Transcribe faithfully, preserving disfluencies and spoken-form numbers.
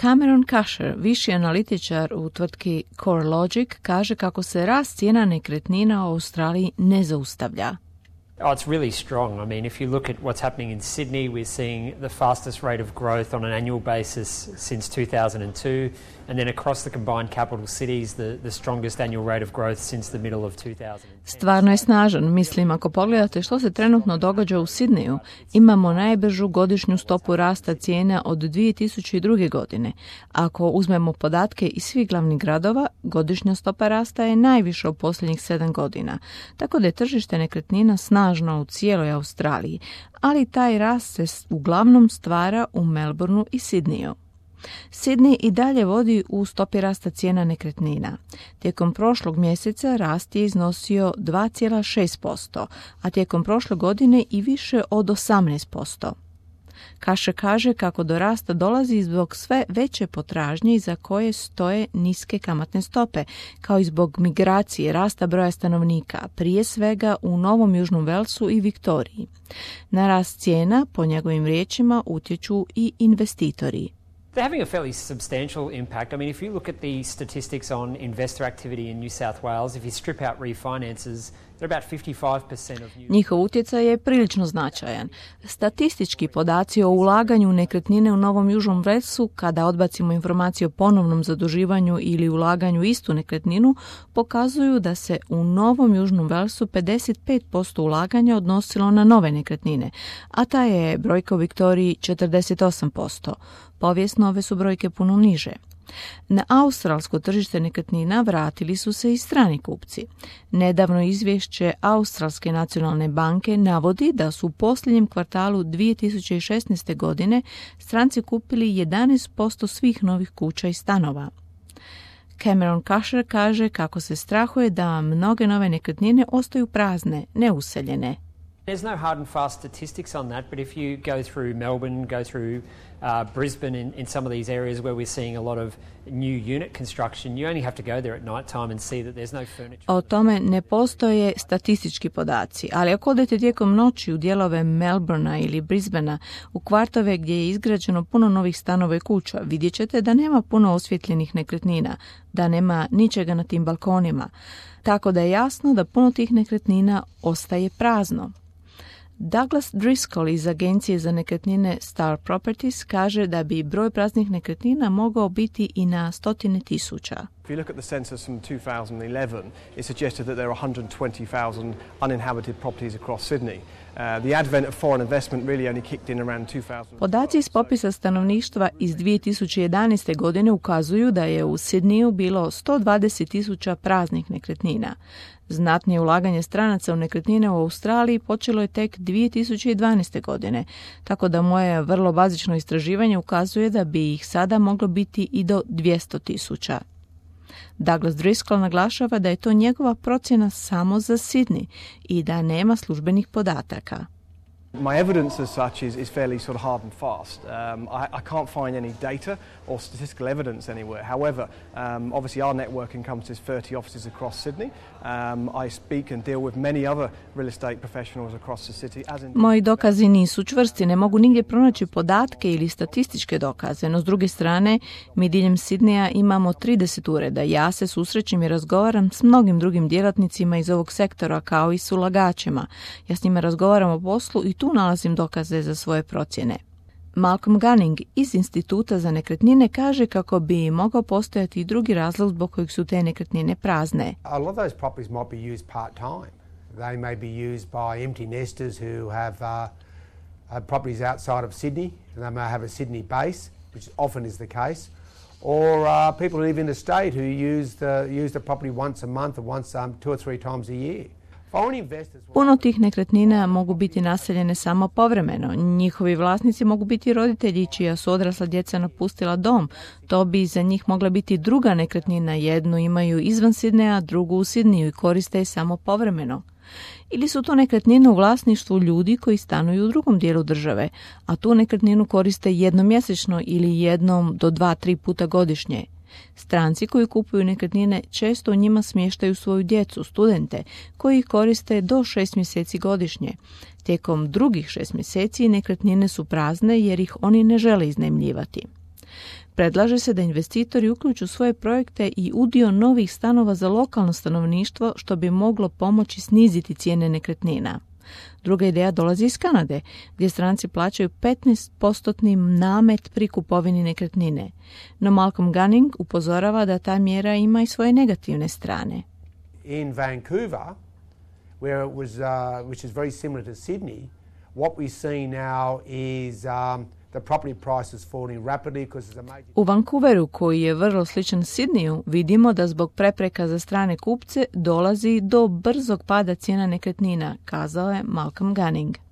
Cameron Kasher, viši analitičar u tvrtki CoreLogic, kaže kako se rast cijena nekretnina u Australiji ne zaustavlja. Oh, it's really strong. I mean, if you look at what's happening in Sydney, we're seeing the fastest rate of growth on an annual basis since two thousand two, and then across the combined capital cities, the, the strongest annual rate of growth since the middle of two thousand ten. Stvarno je snažan. Mislim, ako pogledate što se trenutno događa u Sidneju, imamo najbržu godišnju stopu rasta cijena od dvije tisuće druge. godine. Ako uzmemo podatke iz svih glavnih gradova, godišnja stopa rasta je najviša u posljednjih sedam godina. Tako da je tržište nekretnina snažno u cijeloj Australiji, ali taj rast se uglavnom stvara u Melbourneu i Sidneju. Sydney i dalje vodi u stopi rasta cijena nekretnina. Tijekom prošlog mjeseca rast je iznosio dva zarez šest posto, a tijekom prošle godine i više od osamnaest posto. Kaše kaže kako do rasta dolazi zbog sve veće potražnje iza koje stoje niske kamatne stope, kao i zbog migracije, rasta broja stanovnika, prije svega u Novom Južnom Velsu i Viktoriji. Na rast cijena, po njegovim riječima, utječu i investitori. They're having a fairly substantial impact. I mean, if you look at the statistics on investor activity in New South Wales, if you strip out refinances, they're about fifty-five percent of new... Njihov utjecaj je prilično značajan. Statistički podaci o ulaganju u nekretnine u Novom Južnom Velsu, kada odbacimo informacije o ponovnom zaduživanju ili ulaganju u istu nekretninu, pokazuju da se u Novom Južnom Velsu pedeset pet posto ulaganja odnosilo na nove nekretnine, a ta je brojka u Viktoriji četrdeset osam posto. Povijesno ove su brojke puno niže. Na australsko tržište nekretnina vratili su se i strani kupci. Nedavno izvješće Australske nacionalne banke navodi da su u posljednjem kvartalu dvije tisuće šesnaeste. godine stranci kupili jedanaest posto svih novih kuća i stanova. Cameron Kasher kaže kako se strahuje da mnoge nove nekretnine ostaju prazne, neuseljene. There's no hard and fast statistics on that, but if you go through Melbourne, go through uh, Brisbane, in, in some of these areas where we're seeing a lot of new unit construction, you only have to go there at night time and see that there's no furniture. O tome ne postoje statistički podaci, ali ako odete tijekom noći u dijelove Melbournea ili Brisbanea, u kvartove gdje je izgrađeno puno novih stanova i kuća, vidjet ćete da nema puno osvjetljenih nekretnina, da nema ničega na tim balkonima, tako da je jasno da puno tih nekretnina ostaje prazno. Douglas Driscoll iz agencije za nekretnine Star Properties kaže da bi broj praznih nekretnina mogao biti i na stotine tisuća. If you look at the census from two thousand eleven, it suggested that there are one hundred twenty thousand uninhabited properties across Sydney. Uh, the advent of foreign investment really only kicked in around two thousand. Podaci iz popisa stanovništva iz dvije tisuće jedanaeste. godine ukazuju da je u Sidneju bilo sto dvadeset tisuća praznih nekretnina. Znatnije ulaganje stranaca u nekretnine u Australiji počelo je tek dvije tisuće dvanaeste. godine, tako da moje vrlo bazično istraživanje ukazuje da bi ih sada moglo biti i do dvjesto tisuća. Douglas Driscoll naglašava da je to njegova procjena samo za Sydney i da nema službenih podataka. My evidence as such is, is fairly sort of hard and fast. Um, I, I can't find any data or statistical evidence anywhere. However, um, obviously our network encompasses thirty offices across Sydney. Um, I speak and deal with many other real estate professionals across the city. As in... Moji dokazi nisu čvrsti, ne mogu nigdje pronaći podatke ili statističke dokaze, no s druge strane mi diljem Sidneja imamo trideset ureda. Ja se susrećem i razgovaram s mnogim drugim djelatnicima iz ovog sektora kao i s ulagačima. Ja s njima razgovaram o poslu i tu nalazim dokaze za svoje procjene. Malcolm Gunning iz Instituta za nekretnine kaže kako bi mogao postojati i drugi razlog zbog kojeg su te nekretnine prazne. A lot of those properties might be used part-time. They may be used by empty nesters who have uh, uh, properties outside of Sydney, and they may have a Sydney base, which often is the case, or uh, people who live in the state who use the, use the property once a month or once um, two or three times a year. Puno tih nekretnina mogu biti naseljene samo povremeno. Njihovi vlasnici mogu biti roditelji čija su odrasla djeca napustila dom. To bi za njih mogla biti druga nekretnina. Jednu imaju izvan Sidneja, drugu u Sidneju i koriste je samo povremeno. Ili su to nekretnine u vlasništvu ljudi koji stanuju u drugom dijelu države, a tu nekretninu koriste jednomjesečno ili jednom do dva, tri puta godišnje. Stranci koji kupuju nekretnine često u njima smještaju svoju djecu, studente, koji ih koriste do šest mjeseci godišnje. Tijekom drugih šest mjeseci nekretnine su prazne jer ih oni ne žele iznajmljivati. Predlaže se da investitori uključu svoje projekte i udio novih stanova za lokalno stanovništvo, što bi moglo pomoći sniziti cijene nekretnina. Druga ideja dolazi iz Kanade, gdje stranci plaćaju petnaest posto namet pri kupovini nekretnine. No Malcolm Gunning upozorava da ta mjera ima i svoje negativne strane. In Vancouver, where it was, uh, which is very similar to Sydney, what we see now is um, the property prices falling rapidly because there's a major... U Vancouveru, koji je vrlo sličan Sydneyu, vidimo da zbog prepreka za strane kupce dolazi do brzog pada cijena nekretnina, kazao je Malcolm Gunning.